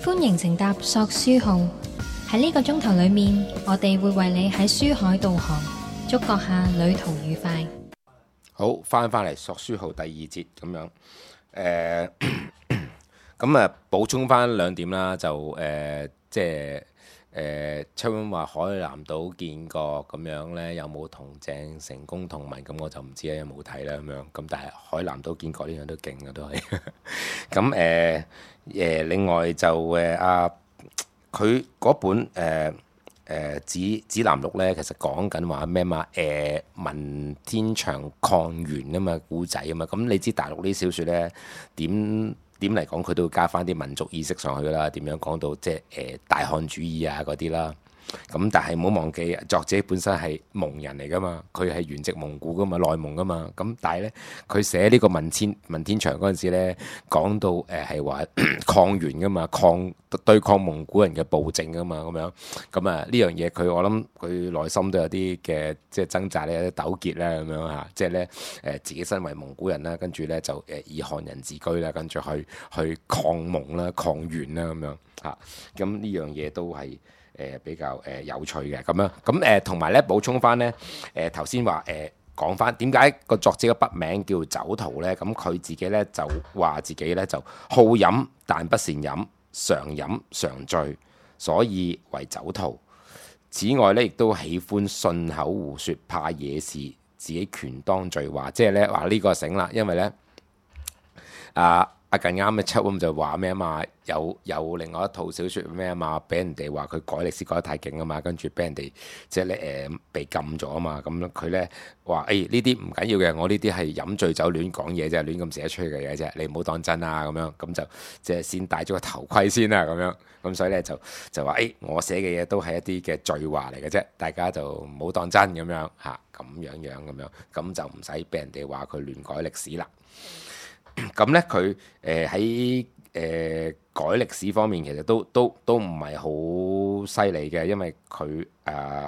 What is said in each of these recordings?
歡迎乘搭索書號，喺呢個鐘頭裏面，我哋會為你喺書海導航，祝閣下旅途愉快。好，翻嚟索書號第二節咁樣，咁啊補充翻兩點啦，就即係秋婉話海南島見過咁樣呢，有冇同鄭成功同文？咁我就唔知咧，有冇睇啦咁樣。咁但係海南島見過呢樣都勁嘅都係。咁另外就佢嗰本指南錄咧，其實講緊話咩嘛？文天祥抗元啊嘛，古仔啊嘛。咁你知大陸啲小説咧點嚟講，佢都會加翻啲民族意識上去啦。點樣講到即係大漢主義啊嗰啲啦。咁但係唔好忘記，作者本身係蒙人嚟噶嘛，佢係原籍蒙古噶嘛，內蒙噶嘛。咁但係咧，佢寫呢個文天祥嗰陣時咧，講到係話抗元噶嘛，對抗蒙古人嘅暴政噶嘛，咁樣。咁啊呢樣嘢我諗佢內心都有啲嘅即係掙扎咧，有啲糾結啦咁樣嚇。即係咧自己身為蒙古人啦，跟住咧就以漢人自居啦，跟住去抗蒙啦、抗元啦咁樣嚇。咁呢樣嘢都係比較有趣嘅咁樣，咁同埋咧補充翻咧，頭先話講翻點解個作者嘅筆名叫酒徒咧？咁佢自己咧就話自己咧就好飲但不善飲，常飲常醉，所以為酒徒。此外咧，亦都喜歡信口胡說，怕惹事，自己權當罪話，即係咧話呢個醒啦，因為咧近啱嘅秋咁就話咩啊嘛，有另外一套小説咩啊嘛，俾人哋話佢改歷史改得太勁啊嘛，跟住俾人哋即係咧被禁咗啊嘛，咁佢咧話呢啲唔緊要嘅，我呢啲係飲醉酒亂講嘢啫，亂咁寫出去嘅嘢啫，你唔好當真啊咁樣，咁就即係先戴咗個頭盔先啦咁樣，咁所以咧就話我寫嘅嘢都係一啲嘅罪話嚟嘅啫，大家就唔好當真咁樣嚇，咁樣咁樣，咁就唔使俾人哋話佢亂改歷史啦。咁咧佢喺改歷史方面其實都唔係好犀利嘅，因為佢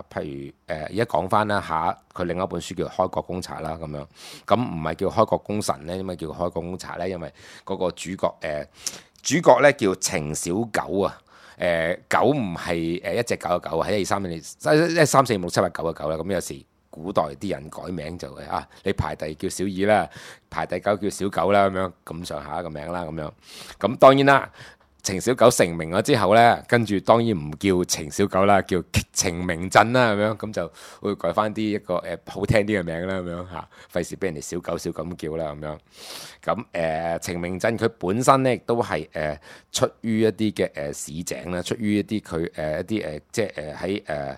譬如而家講翻啦下，佢另一本書叫《開國公查》啦咁樣，咁唔係叫《開國功臣》咧，因為叫《開國公查》咧，因為嗰個主角咧叫程小九啊，九唔係一隻狗嘅狗，係1、2、3、4、5、6、7、8、9嘅9啦，咁有時古代啲人改名就係你排第叫小二啦，排第9叫小九啦，咁上下一個名啦，咁樣。咁當然啦，程小九成名咗之後咧，跟住當然唔叫程小九啦，叫程明鎮啦，咁就會改翻一個好聽啲嘅名啦，咁樣嚇，費事俾人哋小九咁叫啦，咁樣。咁程明鎮佢本身咧亦都係出於一啲嘅市井啦，出於一啲佢一啲即係喺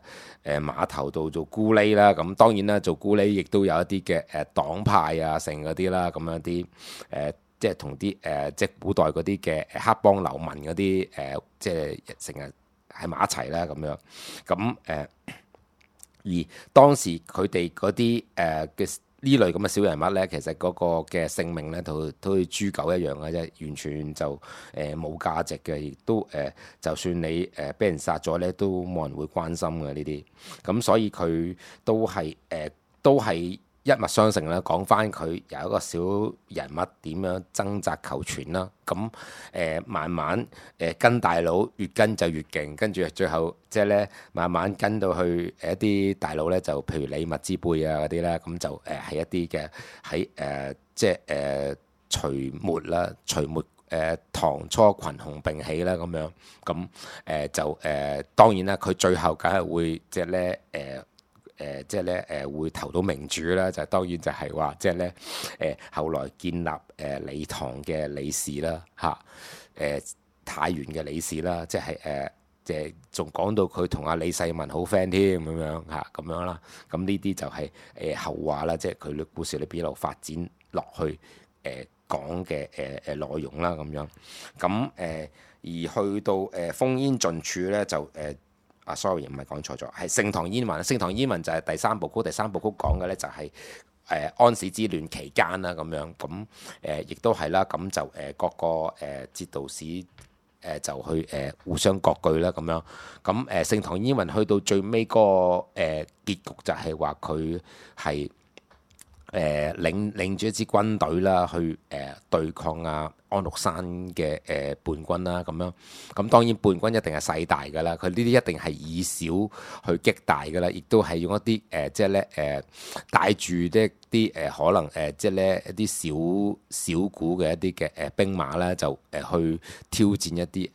碼頭度做咕喱啦，咁當然啦，做咕喱亦都有一啲嘅黨派啊，成嗰啲啦，咁樣啲即係同啲即係古代嗰啲嘅黑幫流民嗰啲即係成日喺埋一齊啦，咁樣。咁而當時佢哋嗰啲嘅呢類咁嘅小人物咧，其實嗰個嘅性命咧，都好似豬狗一樣嘅啫，完全就冇價值嘅，亦都就算你俾人殺咗咧，都冇人會關心嘅呢啲。咁所以佢都係一脈相承啦。講翻佢有一個小人物點樣掙扎求存啦。咁慢慢跟大佬越跟就越勁，跟住最後即係咧慢慢跟到去一啲大佬咧，就譬如李密之輩啊嗰啲咧，咁就係一啲嘅喺即係隋末啦，隋末唐初群雄並起啦咁樣，咁就當然啦，佢最後梗係會即係咧即係咧會投到明主啦，就當然就係話即係咧後來建立李唐嘅李氏啦嚇，太原嘅李氏啦，即係即係仲講到佢同阿李世民好 friend 添咁樣嚇，咁樣啦，咁呢啲就係後話啦，即係佢嘅故事裏邊一路發展落去講嘅內容啦咁樣，咁而去到烽煙盡處咧就sorry 唔係講錯咗，係盛唐煙雲。盛唐煙雲就係第三部曲，第三部曲講嘅咧就係安史之亂期間啦咁樣，咁亦都係啦，咁就各個節度使就去互相割據啦咁樣，咁盛唐煙雲去到最尾嗰個結局就係話佢係領住一支軍隊啦去對抗安祿山嘅叛軍啦咁樣。咁當然叛軍一定係勢大㗎啦，佢呢啲一定係以小去擊大㗎啦，亦都係用一啲即係咧帶住啲可能即係咧一啲小股嘅一啲嘅兵馬咧，就去挑戰一啲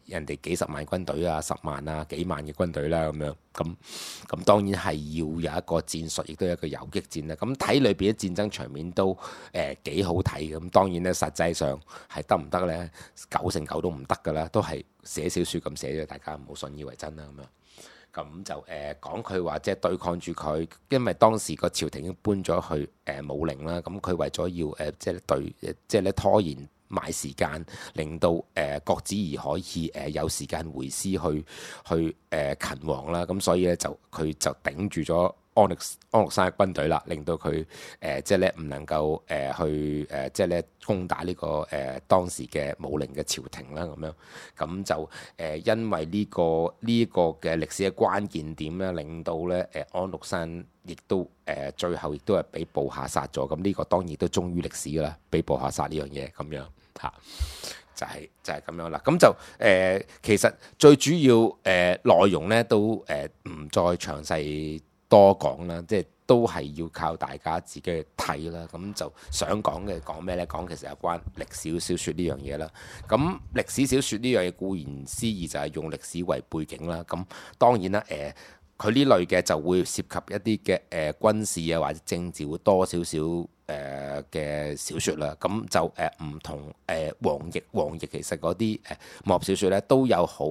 人哋幾十萬軍隊啊、10萬啊、幾萬嘅軍隊啦咁樣。咁當然係要有一個戰術，亦都有一個游擊戰啦。咁睇裏邊啲戰爭場面都幾好睇。咁當然咧，實際上係得唔得咧？9成9都唔得㗎啦，都係寫小説咁寫咗，大家唔好信以為真啦咁樣。咁就講佢話即係對抗住佢，因為當時個朝廷已經搬咗去武陵啦。咁佢為咗要即係咧拖延買時間，令到郭子儀可以有時間回師去勤王啦。咁所以咧佢就頂住咗安祿山嘅軍隊啦，令到佢即係咧唔能夠去即係咧攻打呢個當時嘅武陵嘅朝廷啦咁樣。咁就因為呢個嘅歷史嘅關鍵點咧，令到咧安祿山亦都最後亦都係俾部下殺咗。咁呢個當然都忠於歷史㗎啦，俾部下殺呢樣嘢咁樣嚇。就係咁樣啦，咁就其實最主要內容咧都唔再詳細多講啦，即係都係要靠大家自己去睇啦。咁就想講嘅講咩呢？講其實有關歷史小説呢樣嘢啦。咁歷史小説呢樣嘢固然思義就係用歷史為背景啦。咁當然啦，佢呢類嘅就會涉及一啲嘅軍事啊或者政治會多少少嘅小説啦。咁就唔同黃易其實嗰啲武俠小説咧都有好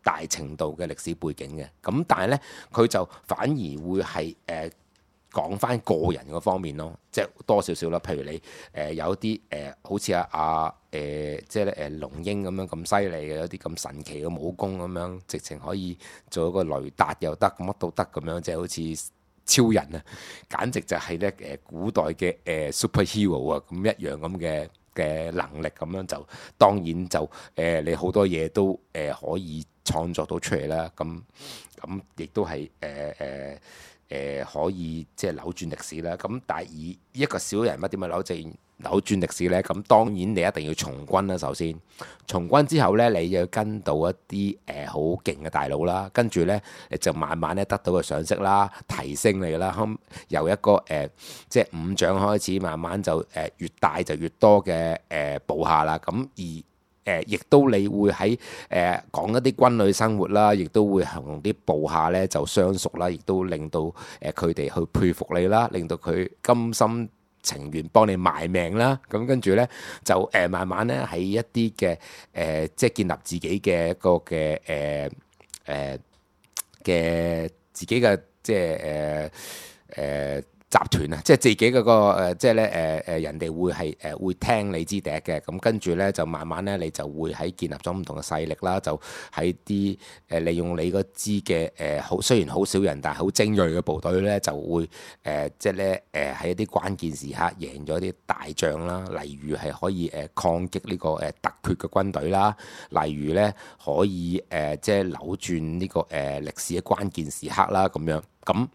大程度嘅歷史背景嘅。咁但係咧佢就反而會係講翻個人嗰方面咯，即係多少少啦。譬如你有啲好似即係咧龍櫻咁樣咁犀利嘅，有啲咁神奇嘅武功咁樣，直情可以做一個雷達又得，乜都得咁樣，即係好似超人啊，簡直就係咧古代嘅superhero 啊咁一樣咁嘅能力咁樣，就當然就你好多嘢都可以創作到出嚟啦。咁亦都係可以即係扭轉歷史啦。咁但係以一個小人物點樣扭轉歷史呢？咁當然你一定要從軍啦。首先從軍之後呢，你要跟到一啲好勁嘅大佬啦，跟住呢，你就慢慢咧得到個賞識啦，提升你啦。由一個即係伍長開始，慢慢就越大就越多嘅部下啦。咁亦都你會喺講一啲軍旅生活啦，亦都會同啲部下咧就相熟啦，亦都令到佢哋去佩服你啦，令到佢甘心情願幫你賣命啦。咁跟住咧就慢慢咧喺一啲嘅即係建立自己嘅一個嘅自己嘅即係集團啊，即係自己嗰個即係咧人哋會係會聽你支笛嘅。咁跟住咧就慢慢咧你就會喺建立咗唔同嘅勢力啦，就喺啲利用你嗰支嘅好雖然好少人但係好精鋭嘅部隊咧，就會即係咧喺一啲關鍵時刻贏咗啲大仗啦。例如係可以抗擊呢個突厥嘅軍隊啦，例如咧可以即係扭轉呢個歷史嘅關鍵時刻啦咁樣。咁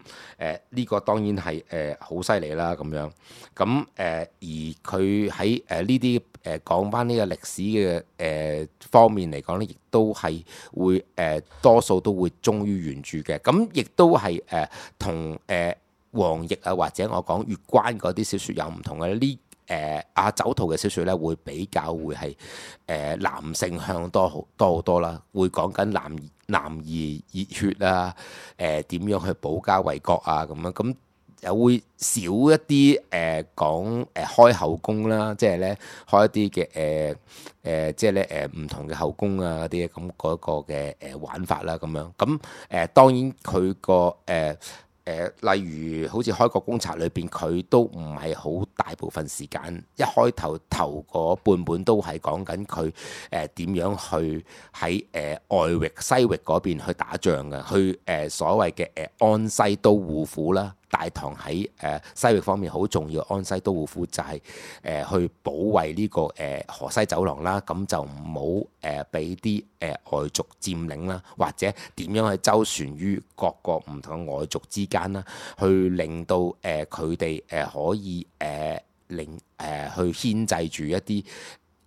呢個當然係好犀利啦咁樣。咁而佢喺呢啲講翻呢個歷史嘅方面嚟講咧，亦都係會多數都會忠於原著嘅。咁亦都係同黃易啊或者我講月關嗰啲小説有唔同嘅。呢阿酒徒嘅小説咧會比較會係男性向多好多啦，會講緊男兒熱血啊，點樣去保家衛國啊咁樣。咁又會少一啲講開後宮啦，即係咧開一啲嘅即係咧唔同嘅後宮啊啲咁嗰個嘅玩法啦咁樣。咁當然佢個例如好似《開國公賊》裏邊，佢都唔係好大部分時間，一開頭嗰半本都係講緊佢點樣去喺外域西域嗰邊去打仗嘅，去所謂嘅安西都護府啦。大唐喺西域方面好重要，安西都護府就係去保衛呢個河西走廊啦，咁就唔好俾啲外族佔領啦，或者點樣去周旋於各個唔同嘅外族之間啦，去令到佢哋可以去牽制住一啲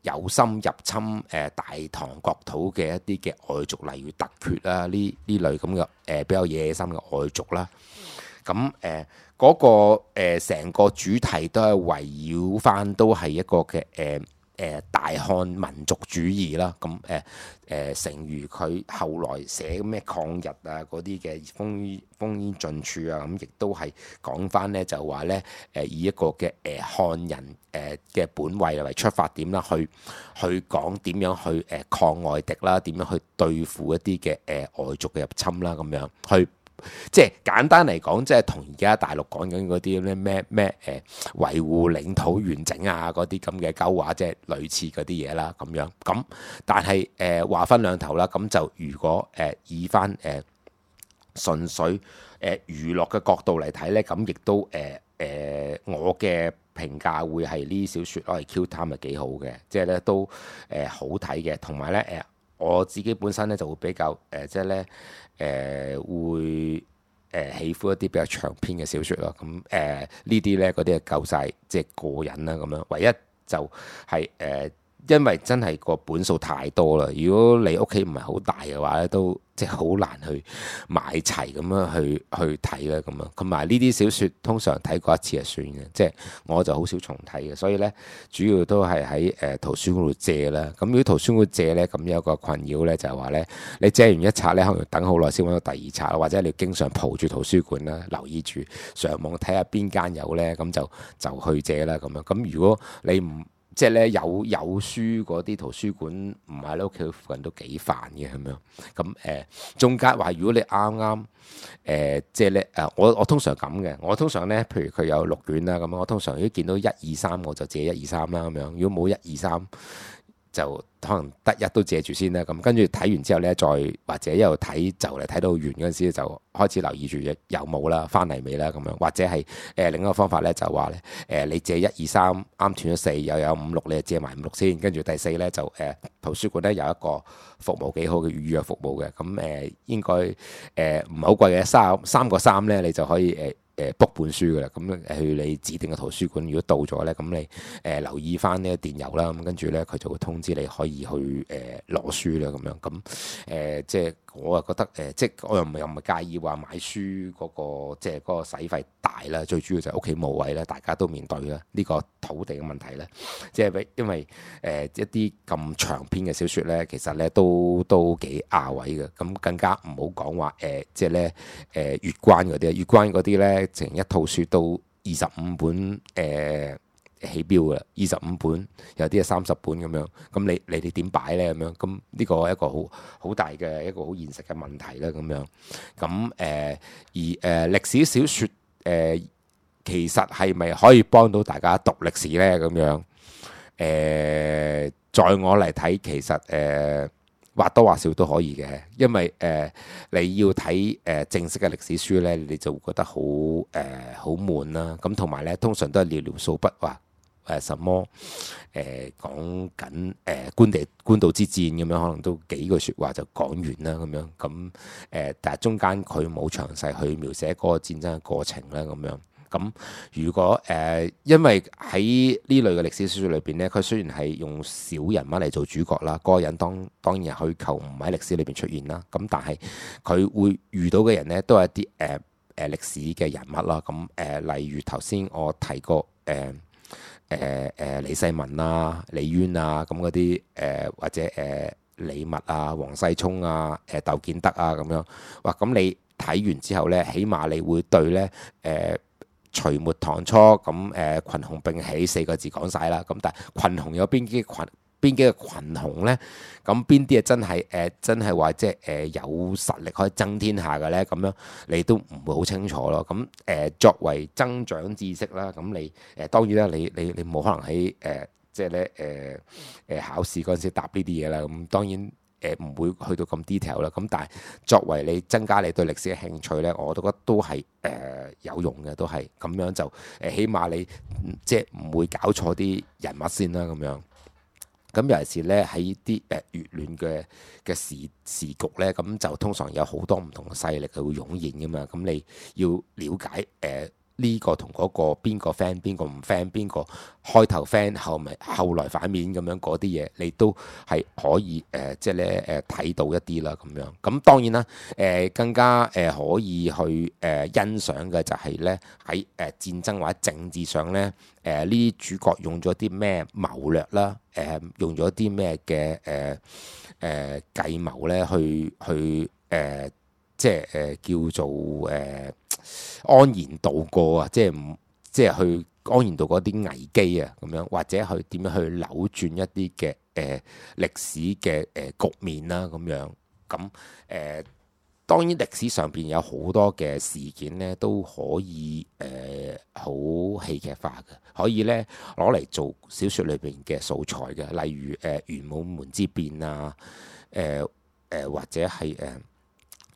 有心入侵大唐國土嘅一啲嘅外族，例如突厥啦呢類咁嘅比較野心嘅外族啦。咁嗰個成個主題都係圍繞翻都係一個嘅大漢民族主義啦。咁誠如佢後來寫咩抗日啊嗰啲嘅烽煙盡處啊，咁亦都係講翻呢，就話呢，以一個嘅漢人嘅本位為出發點啦，去講點樣去抗外敵啦，點樣去對付一啲嘅外族嘅入侵啦，咁樣去。即係簡單嚟講，即係同而家大陸講緊嗰啲咩維護領土完整啊嗰啲咁嘅鳩話，即係類似嗰啲嘢啦咁樣。咁但係話分兩頭啦。咁就如果以翻純粹娛樂嘅角度嚟睇呢，咁亦都我嘅評價會係呢小説攞嚟 Q time 係幾好嘅，即係咧都好睇嘅，同埋呢，我自己本身呢就會比較即係呢。會喜歡一啲比較長篇嘅小説咯，咁呢啲呢，嗰啲係夠晒即係過癮啦咁樣。唯一就係因為真係個本數太多啦，如果你屋企唔係好大嘅話咧，都即係好難去買齊咁樣去睇啦咁樣。同埋呢啲小説通常睇過一次就算嘅，即係我就好少重睇嘅，所以呢，主要都係喺圖書館度借啦。咁如果圖書館借呢，咁有個困擾呢，就係話呢：你借完一冊呢，可能要等好耐先揾到第二冊，或者你要經常蒲住圖書館啦，留意住上網睇下邊間有呢，咁就去借啦咁樣。咁如果你唔即係咧有書嗰啲圖書館唔喺你屋企附近都幾煩嘅咁樣。咁中間話如果你啱啱即係咧我通常咁嘅，我通常咧譬如佢有6卷啦咁，我通常如果見到1、2、3我就借1、2、3啦咁樣。如果冇1、2、3就可能得一都借住先啦。咁跟住睇完之後咧，再或者一路睇就嚟睇到完嗰陣時就開始留意住有冇啦，翻嚟未啦咁樣。或者係另一個方法咧，就話咧你借1、2、3啱斷咗4，又有5、6，你就借埋5、6先。跟住第4咧就圖書館咧有一個服務幾好嘅預約服務嘅。咁應該唔係好貴嘅，3個3咧你就可以book 本書噶啦。咁去你指定嘅圖書館，如果到咗咧，咁你留意翻呢個電郵啦。咁跟住咧佢就會通知你可以去攞書啦咁樣。咁即係我啊覺得即係我又唔係介意話買書嗰個即係嗰個使費大啦。最主要就係屋企冇位啦，大家都面對啦呢個土地嘅問題咧。即係因為一啲咁長篇嘅小説咧，其實咧都幾亞位嘅。咁更加唔好講話即係咧月關嗰啲，月關嗰啲咧成一套書都25本起標嘅，25本，有啲係30本咁樣。咁你哋點擺咧咁樣？咁呢個係一個好大嘅一個好現實嘅問題啦咁樣。咁而歷史小説其實係咪可以幫到大家讀歷史咧咁樣？在我嚟睇，其實或多或少都可以嘅，因為你要睇正式嘅歷史書咧，你就會覺得好悶啦。咁同埋咧，通常都係寥寥數筆話什麼講緊官渡之戰咁樣，可能都幾句説話就講完啦咁樣。咁但係中間佢冇詳細去描寫嗰個戰爭嘅過程啦咁樣。咁如果因為喺呢類嘅歷史小説裏邊咧，佢雖然係用小人物嚟做主角啦，嗰個人當然係虛構，唔喺歷史裏邊出現啦。咁但係佢會遇到嘅人咧，都係一啲歷史嘅人物啦。咁例如頭先我提過李世民啊、李淵啊咁嗰啲或者李密啊、王世充啊、竇建德啊咁樣。哇！咁你睇完之後咧，起碼你會對咧隋末唐初咁群雄並起4個字講晒啦。咁但係群雄有邊幾個群雄呢？咁邊啲係真係話即係有實力可以爭天下嘅呢？咁樣你都唔會好清楚咯。咁作為增長知識啦，咁你當然啦，你冇可能喺即係咧考試嗰陣時答呢啲嘢啦。咁當然唔會去到咁 detail 啦。咁但係作為你增加你對歷史嘅興趣呢，我都覺得都係有用嘅，都係咁樣就起碼你即係唔會搞錯啲人物先啦咁樣。咁尤其是咧喺啲越亂嘅時局咧，咁就通常有好多唔同嘅勢力係會湧現噶嘛。咁你要了解呢個同嗰個邊個 friend 邊個唔 friend，邊個開頭 friend 後來反面咁樣嗰啲嘢，你都係可以即係咧睇到一啲啦咁樣。咁當然啦，更加可以去欣賞嘅就係咧喺戰爭或者政治上咧，呢啲主角用咗啲咩謀略啦，用咗啲咩嘅計謀咧去即係叫做安然度過啊，即係去安然度過啲危機啊，咁樣或者去點樣去扭轉一啲嘅歷史嘅局面啦，咁樣咁當然歷史上邊有好多嘅事件咧，都可以好戲劇化嘅，可以咧攞嚟做小説裏邊嘅素材嘅，例如玄武門之變啊，或者係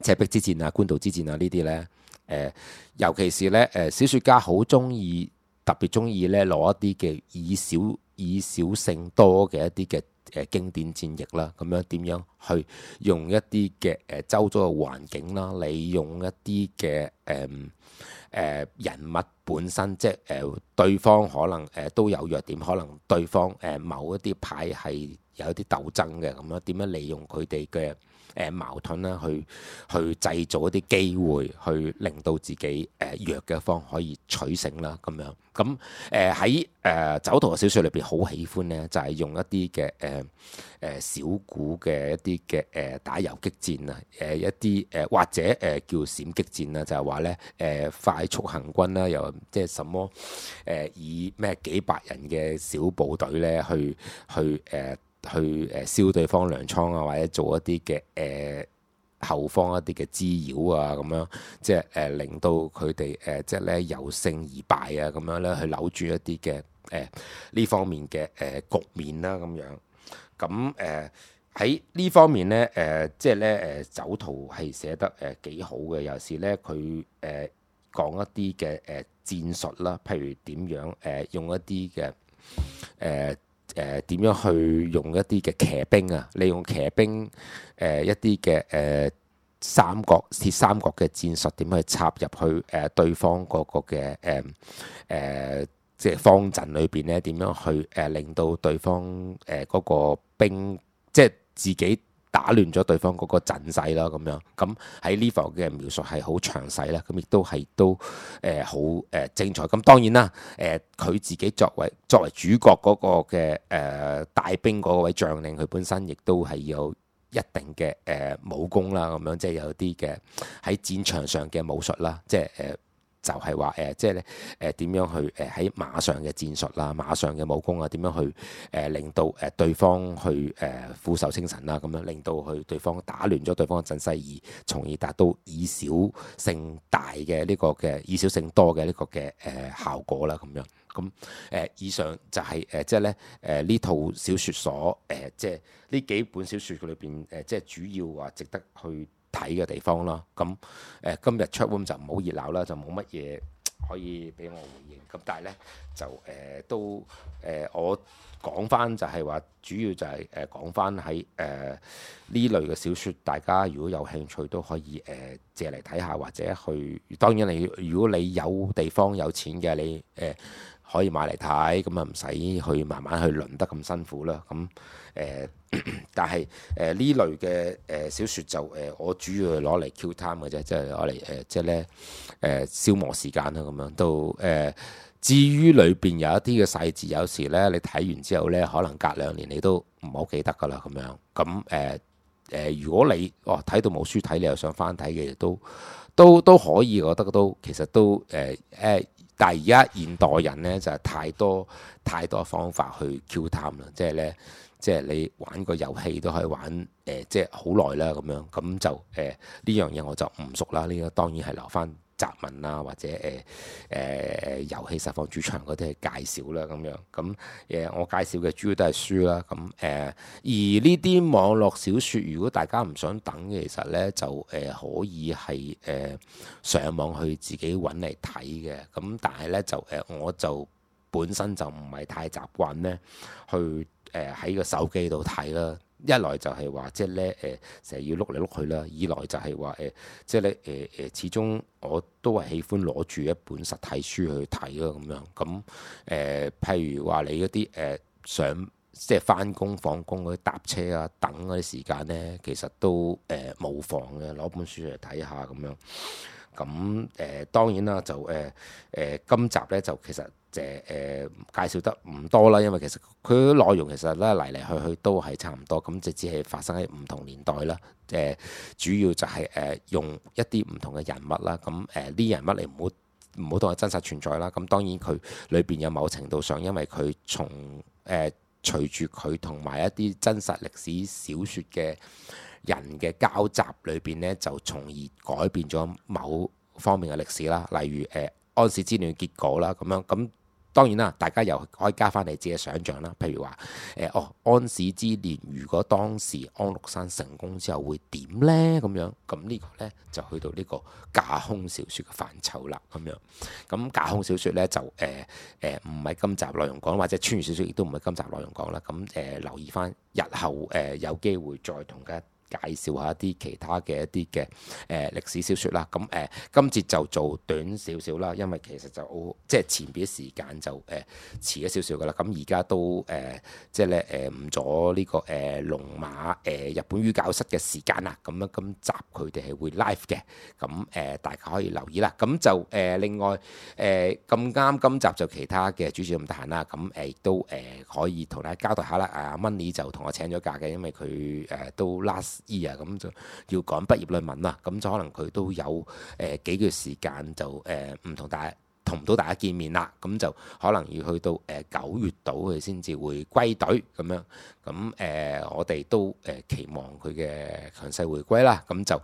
赤壁之戰啊、官渡之戰啊呢啲咧，尤其是咧小説家好特別中意咧攞一啲嘅以少勝多嘅一啲嘅經典戰役啦，咁樣點樣去用一啲嘅周遭嘅環境啦，利用一啲嘅人物本身，即係對方可能都有弱點，可能對方某一啲派係有一啲鬥爭嘅，咁樣點樣利用佢哋嘅矛盾啦，去製造一啲機會，去令到自己弱嘅方可以取勝啦，咁樣咁喺酒徒嘅小説裏邊好喜歡咧，就係用一啲嘅小股嘅一啲嘅打游擊戰啊，一啲或者叫閃擊戰啊，就係話咧快速行軍啦，又即係什麼以咩幾百人嘅小部隊咧去燒對方糧倉啊，或者做一啲嘅後方一啲嘅滋擾啊，咁樣即係令到佢哋即係咧由勝而敗啊，咁樣咧去扭轉一啲嘅呢方面嘅局面啦，咁樣咁喺呢方面咧即係咧酒徒係寫得幾好嘅，有時咧佢講一啲嘅戰術啦，譬如點樣用一啲嘅點樣去用一啲嘅騎兵啊，利用騎兵一啲嘅鐵三角嘅戰術，點樣去插入去對方嗰個嘅即係方陣裏邊咧，點樣去令到對方嗰個兵即係自己打亂咗對方嗰個陣勢啦，咁樣咁喺呢方嘅描述係好詳細啦，咁亦都係好精彩。咁當然啦，佢自己作為主角嗰個嘅帶兵嗰位將領，佢本身亦都係有一定嘅武功啦，咁樣即係有啲嘅喺戰場上嘅武術啦，即係就係話即係咧點樣去喺馬上嘅戰術啦、馬上嘅武功啊，點樣去令到對方去俯首稱臣啦，咁樣令到對方打亂咗對方嘅陣勢，而從而達到以少勝大嘅呢個嘅以少勝多嘅呢個嘅效果啦，咁樣咁以上就係即係咧呢套小説所即係呢幾本小説裏邊即係主要話值得去睇嘅地方咯，咁今日 chat room 就唔好熱鬧啦，就冇乜嘢可以俾我回應。咁但係咧就都我講翻就係話，主要就係講翻喺呢類嘅小説，大家如果有興趣都可以借嚟睇下，或者去當然如果你有地方有錢嘅，你可以買嚟睇，咁啊唔使去慢慢去輪得咁辛苦啦。咁但係呢類嘅小説就我主要係攞嚟 kill time 嘅啫，即係攞嚟即係咧消磨時間啦咁樣。都至於裏邊有一啲嘅細節，有時咧你睇完之後咧，可能隔2年你都唔好記得噶啦咁樣。咁如果你睇到冇書睇，你又想翻睇嘅，都可以，我覺得都其實都但係而家現代人咧就係太多方法去 kill time 啦，即係咧。即係你玩個遊戲都可以玩即係好耐啦咁樣，咁就呢樣嘢我就唔熟啦。呢個當然係留翻雜文啊，或者遊戲實況主場嗰啲係介紹啦咁樣。咁我介紹嘅主要都係書啦。咁而呢啲網絡小説，如果大家唔想等嘅，其實咧就可以係上網去自己揾嚟睇嘅。咁但係咧就我就本身就唔係太習慣咧去。喺個手機度睇啦，一來就係話即係咧成日要碌嚟碌去啦，二來就係話即係咧始終我都係喜歡攞住一本實體書去睇咯咁樣。咁譬如話你嗰啲上即係翻工放工嗰啲搭車啊等嗰啲時間咧，其實都冇妨嘅，攞本書嚟睇下咁樣。咁當然啦，就今集咧就其實介紹得唔多啦，因為其實佢內容其實咧嚟嚟去去都係差唔多，咁就只係發生喺唔同年代啦。主要就係用一啲唔同嘅人物啦，咁呢人物你唔好當係真實存在啦。咁當然佢裏邊有某程度上，因為佢從隨住佢同埋一啲真實歷史小説嘅人嘅交集裏邊呢，就從而改變咗某方面嘅歷史啦。例如安史之亂嘅結果啦，咁樣咁當然啦，大家又可以加翻你自己嘅想像啦。譬如話安史之亂，如果當時安祿山成功之後會點呢？咁樣咁呢個呢，就去到呢個架空小説嘅範疇啦。咁樣咁架空小説呢，就唔係今集內容講，或者穿越小説亦都唔係今集內容講啦。咁留意翻日後有機會再同大家介紹下一啲其他嘅一啲嘅歷史小説啦。咁今節就做短少少啦，因為其實就即係前邊時間就遲咗少少噶啦。咁而家都即係咧誤咗呢個龍馬日本語教室嘅時間啦。咁樣今集佢哋係會 live 嘅，咁大家可以留意啦。咁就另外咁啱今集就其他嘅主持咁得閒啦，咁亦都可以同大家交代下啦。Money 就同我請咗假嘅，因為佢都 last year 咁就要趕畢業論文啦，咁就可能佢都有幾個月時間就唔同唔到大家見面啦，咁就可能要去到9月度佢先至會歸隊咁樣。咁我哋都期望佢嘅強勢回歸啦。咁就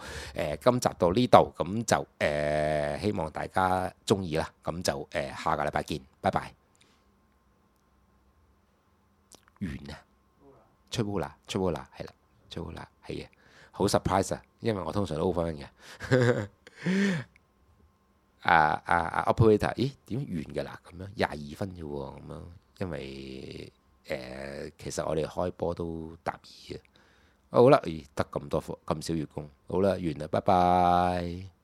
今集到呢度，咁就希望大家中意啦。咁就下個禮拜見，拜拜。完啊！出烏啦，係啦，出烏啦，係啊，好 surprise 啊，因為我通常都好分嘅。operator， 咦點完㗎啦？咁樣22分啫喎，咁樣，因為其實我哋開波都答二嘅。好啦，得咁多咁少月供，好啦，完啦，拜拜。